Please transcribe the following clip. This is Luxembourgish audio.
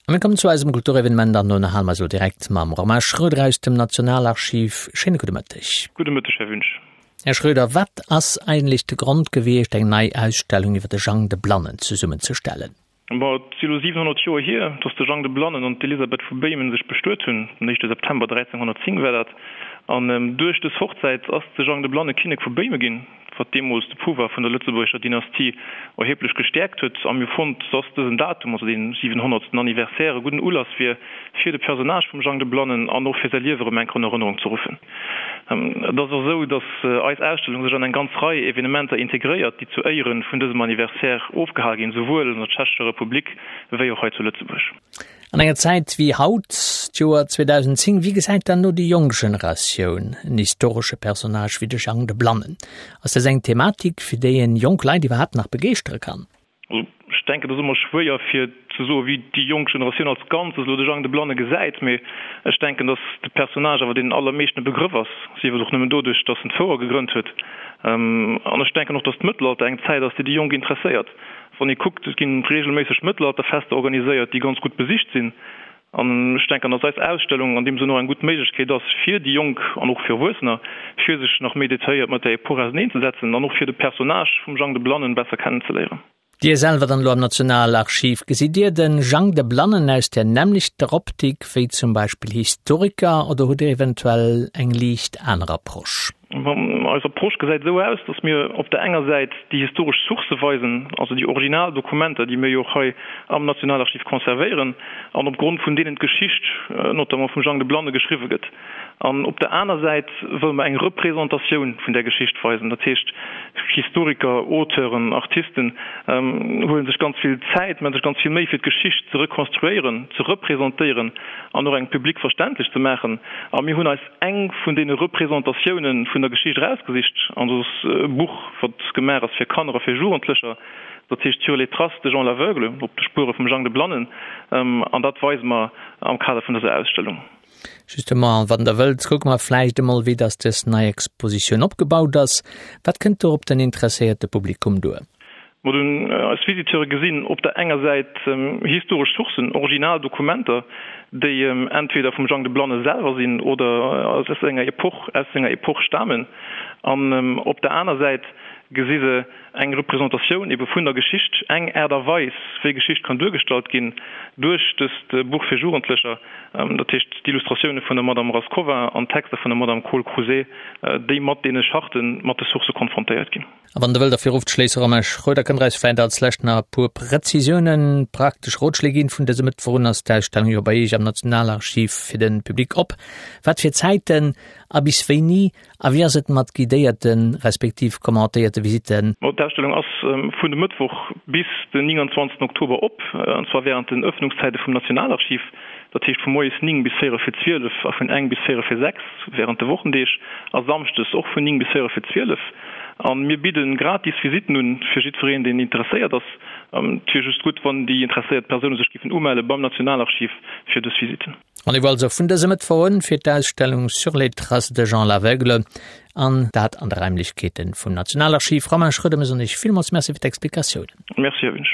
A mir kommen zu eisem Kulturevenement an do ënnerhale mer eis elo direkt mam Romain Schroeder aus dem Nationalarchiv. Schéine gudde Mëtteg. Gudde Mëtteg, Här Wünsch. Här Schroeder, wat ass eigentlech de Grond gewiescht, eng nei Ausstellung iwwer de Jang de Blannen zesummenzestellen? Bon, et si elo 700 Joer hier, datt de Jang de Blannen an d'Elisabeth vu Béimen sech bestuet hunn. Den éischte September 1310 war dat. An duerch dës Hochzäit ass de Jang de Blanne Kinnek vu Béime ginn. wat deemools de Pouvoir vun der lëtzebuergescher Dynastie erheblech gestäerkt huet, a mir hu fonnt, dass dësen Datum, also dee 700. Anniversaire, e gudden Ulass wier, fir de Personnage vum Jang de Blannen an och fir säi Liewe erëm eng Kéier an Erënnerung ze ruffen. Et ass och esou, dass eis Ausstellung sech an eng ganz Rei Evenementer integréiert, déi zu Éiere vun dësem Anniversaire ofgehal ginn, souwuel an der Tschechescher Republik wéi och hei zu Lëtzebuerg. An enger Zäit wéi haut, d'Joer 2010, wéi gesäit dann elo déi jonk Generatioun en historesche Personnage wéi de Jang de Blannen? Ass dës eng Thematik, fir déi een jonk Leit iwwerhaapt nach begeeschtere kann? Also ech denken, et ass ëmmer schwéier fir ze soen, wéi déi jonk Generatioun als Ganzes elo de Jang de Blanne gesäit, mee ech denken, datt de Personnage awer deenen allermeeschten e Begrëff ass, sief et och nëmmen doduerch, datt en d'Fouer gegrënnt huet. An ech denken och, datt d'Mëttelalter eng Zäit ass, déi déi Jonk interesséiert. Wann ee kuckt, et ginn regelméisseg Mëttelalterfester organiséiert, déi ganz gutt besicht sinn. An ech denken, datt eis Ausstellung an deem Sënn och eng gutt Méiglechkeet ass fir déi Jonk an och fir Erwuessener, fir sech nach méi detailléiert mat där Epoch auserneenzesetzen an och fir de Personnage vum Jang de Blannen besser kennenzeléieren. Dir selwer dann elo am Nationalarchiv, gesitt Dir de Jang de Blannen aus där nämmlechter Optik wéi zum Beispill Historiker oder hutt Dir eventuell eng liicht aner Approche? Eis Approche gesäit esou aus, datt mir op der enger Säit déi historesch Sourcë weisen, also déi original Dokumenter, déi mir jo och hei am Nationalarchiv conservéieren an opgrond vun deenen d'Geschicht, notamment vum Jang de Blanne, geschriwwe gëtt. An op der aner Säit wëlle mer eng Representatioun vun där Geschicht weisen. Dat heescht, Historiker, Auteuren, Artisten huele sech ganz vill Zäit, maache sech ganz vill Méi fir d'Geschicht ze rekonstruéieren, ze representéieren an och engem Public verständlech ze maachen. A mir hunn eis eng vun deene Representatiounen vun der Geschicht erausgesicht, an dat ass e Buch, wat gemaach ass fir Kanner a fir Jugendlecher, dat heescht Sur les traces de Jean l'Aveugle, op de Spuere vum Jang de Blannen, an dat weise mer am Kader vun dëser Ausstellung. Justement, wann Der wëllt, kucke mer vläicht emol, wéi dass dës nei Expositioun opgebaut ass. Wat kënnt do op den interesséierte Publikum duer? Mer hunn eis Visiteure gesinn op der enger Säit historesch Sourcen, original Dokumenter, déi entweder vum Jang de Blanne selwer sinn oder aus senger Epoch, aus senger Epoch stamen. An op der aner Säit gesi se eng Representatioun ebe vun der Geschicht, eng Aart a Weis, wéi Geschicht kann duergestallt ginn duerch dëst Buch fir Jugendlecher, dat heescht d'Illustratioune vun der Madame Raskova an d'Texter vun der Madame Kohl-Crouzet, déi mat deene Charten, mat de Sourcë konfrontéiert ginn. A wann Der wëllt derfir ofzeschléissen, Romain Schroeder, kënnt Der eis vläicht als lescht nach e puer Präzisiounen, praktesch Rotschléi ginn. Vun dësem Mëttwoch un ass d'Ausstellung jo bei Iech am Nationalarchiv fir de Public op. Wat fir Zäiten a bis wéini? A wéi ass et mat guidéierte respektiv commentéierte Visitten? D'Ausstellung ass vun dem Mëttwoch bis den 29 Oktober op, an zwar wärend den Ëffnungszäite vum Nationalarchiv. Dat heescht vu moies 9 bis véierel fir 12 a vun eng bis véierel fir 6 wärend de Wochendeeg a samschdes och vun 9 bis véierel fir 12. A mir bidde gratis Visitten un fir jiddwereen, deen interesséiert ass. Et wier just gutt, wann déi interesséiert Persoune sech géifen umelle beim Nationalarchiv fir dës Visitten. Rendez-vous also vun dësem Mëttwoch un fir d'Ausstellung Sur les traces de Jean l'Aveugle an dat an de Raimlechkeete vum Nationalarchiv. Romain Schroeder, mir soen Iech villmools Merci fir d'Explikatiounen. Merci, Här Wünsch.